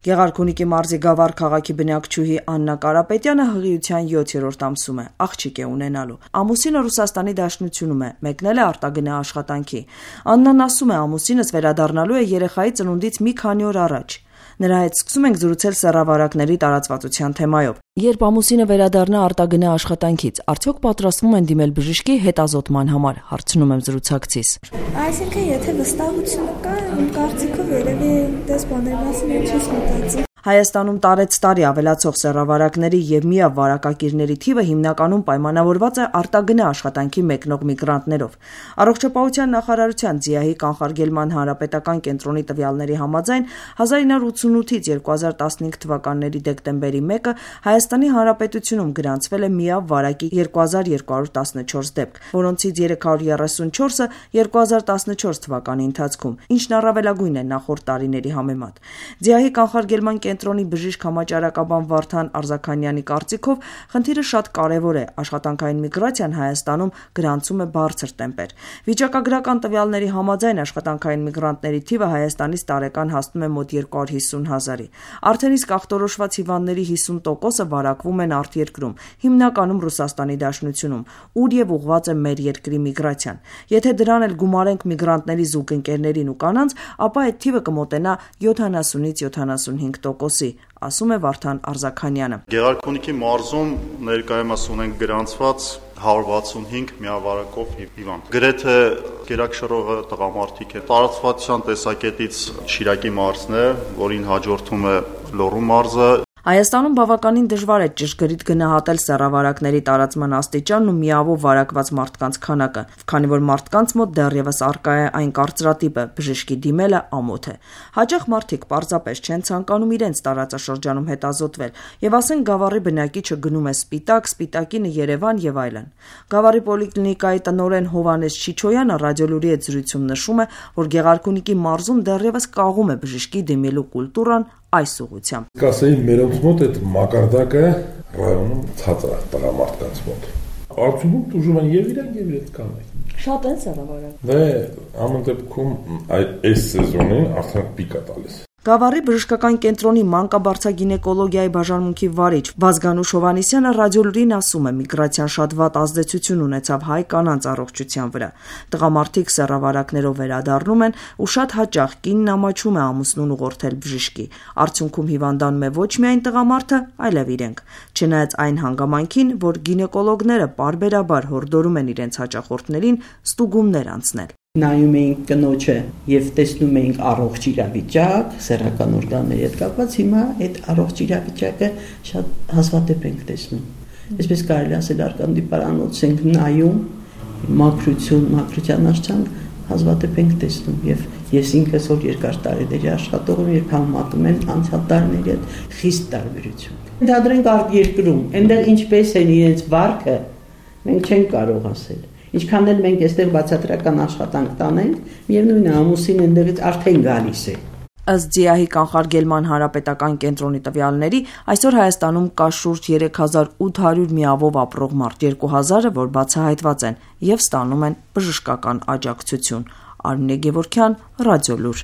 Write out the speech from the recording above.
Գեղարքունիքի մարզի Գավառ քաղաքի բնակչուհի Աննա Կարապետյանը հղիության 7-րդ ամսում է, աղջիկ է ունենալու։ Ամուսինը Ռուսաստանի Դաշնությունում է, մեկնել է արտագնա աշխատանքի։ Աննան ասում է, ամուսինս վերադառնալու է երեխայի ծնունդից մի քանի օր առաջ։ Նրա հետ սկսում ենք զրուցել սեռավարակների տարածվածության թեմայով։ Երբ ամուսինը վերադառնա արտագնա աշխատանքից, արդյոք պատրաստվում են դիմել բժշկի հետազոտման համար, հարցնում եմ զրուցակցիս։ Այսինքն, եթե վստահություն կա, իմ կարծիքով երևի դες բաների մասին չես մտածի։ Հայաստանում տարեցտարի ավելացող սեռավարակների եւ միավարակակիրների թիվը հիմնականում պայմանավորված է արտագնա աշխատանքի մեկնող միգրանտներով։ Առողջապահության նախարարության ՁԻԱՀ-ի կանխարգելման հանրապետական կենտրոնի տվյալների համաձայն 1988-ից 2015 թվականների դեկտեմբերի 1-ը Հայաստանի Հանրապետությունում գրանցվել է միավարակի 2214 դեպք, որոնցից 334-ը 2014 թվականի ընթացքում, ինչն առավելագույն է նախորդ տարիների համեմատ։ ՁԻԱՀ-ի կանխարգելման կենտրոնի բժիշկ համաճարակաբան Վարդան Արզաքանյանի կարծիքով խնդիրը շատ կարևոր է, աշխատանքային միգրացիան Հայաստանում գրանցում է բարձր տեմպեր։ Վիճակագրական տվյալների համաձայն աշխատանքային միգրանտների թիվը Հայաստանից տարեկան հասնում է մոտ 250 հազարի։ Արդեն իսկ ախտորոշված հիվանդների 50%-ը վարակվում են արտերկրում, հիմնականում Ռուսաստանի Դաշնությունում, ուր եւ ուղղված է մեր երկրի միգրացիան։ Եթե դրան էլ գումարենք միգրանտների զուգընկերներին ու կանանց, ապա այդ թիվը կմոտենա 70-ից 75%-ի, ասում է Վարդան Արզաքանյանը։ Գեղարքունիքի մարզում ներկայումս ունենք գրանցված 165 միավարակով հիվանդ։ Գրեթե գերակշռողը տղամարդիկ է։ Տարածվածության տեսակետից Շիրակի մարզն է, որին հաջորդում է Լոռու մարզը։ Հայաստանում բավականին դժվար է ճշգրիտ գնահատել սեռավարակների տարածման աստիճանն ու միավով վարակված մարդկանց քանակը, քանի որ մարդկանց մոտ դեռևս առկա է այն կարծրատիպը՝ բժշկի դիմելը ամոթ է։ Հաճախ մարդիկ պարզապես չեն ցանկանում իրենց տարածաշրջանում հետազոտվել, եւ ասենք Գավառի բնակիչը գնում է Սպիտակ, Սպիտակինը Երևան եւ այլն։ Գավառի պոլիկլինիկայի տնօրեն Հովհաննես Չիչոյանը ռադիոլուրի հետ զրույցում նշում է, որ Գեղարքունիքի մարզում դեռևս կաղում է բժշկի դիմելու կուլտուրան այս ուղղությամբ։ Կասեի մերոնց մոտ այդ մակարդակը ռայոնում ցածր է տղամարդկանց մոտ։ Արդյունքում տուժում են եւ իրենք եւ այդ կանայք։ Շատ են սեռավարակ։ Դե ամեն դեպքում այս սեզոնին արդեն պիկ է տալիս։ Գավառի բժշկական կենտրոնի մանկաբարձագինեկոլոգիայի բաժանմունքի վարիչ Վազգանուշ Հովհաննիսյանը ռադիոլուրին ասում է, միգրացիան շատ վատ ազդեցություն ունեցավ հայ կանանց առողջության վրա։ Տղամարդիկ սեռավարակներով վերադառնում են ու շատ հաճախ կինն ամաչում է ամուսնուն ուղղորդել բժշկի։ Արդյունքում հիվանդանում է ոչ միայն տղամարդը, այլև իրենք։ Չնայած այն հանգամանքին, որ գինեկոլոգները պարբերաբար հորդորում են իրենց հաճախորդներին ստուգումներ անցնել։ Նայում էինք կնոջը եւ տեսնում էինք առողջ իրավիճակ, սեռական օրգանների հետ կապված, հիմա այդ առողջ իրավիճակը շատ հազվադեպ ենք տեսնում։ Այսպես կարելի ասել արկանդիպարանոց ենք նայում, մաքրության աշխարհ հազվադեպ ենք տեսնում եւ ես ինքս որ երկար տարիների աշխատող եմ, երբ համատում են անցյալ տարիների հետ խիստ տարբերություն։ Դադրենք արտերկրում, այնտեղ ինչպես են իրենց վարքը, մենք չենք կարող ասել։ Ինչքան էլ մենք այստեղ բացատրական աշխատանք տանենք, միևնույն է ամուսին այնտեղից արդեն գալիս է։ Ըստ ԶԻԱՀ-ի կանխարգելման հանրապետական կենտրոնի տվյալների, այսօր Հայաստանում կա շուրջ 3800 միավով ապրող մարդ, 2000-ը, որ բացահայտված են եւ ստանում են բժշկական աջակցություն։ Արմինե Գևորգյան, Ռադիոլուր։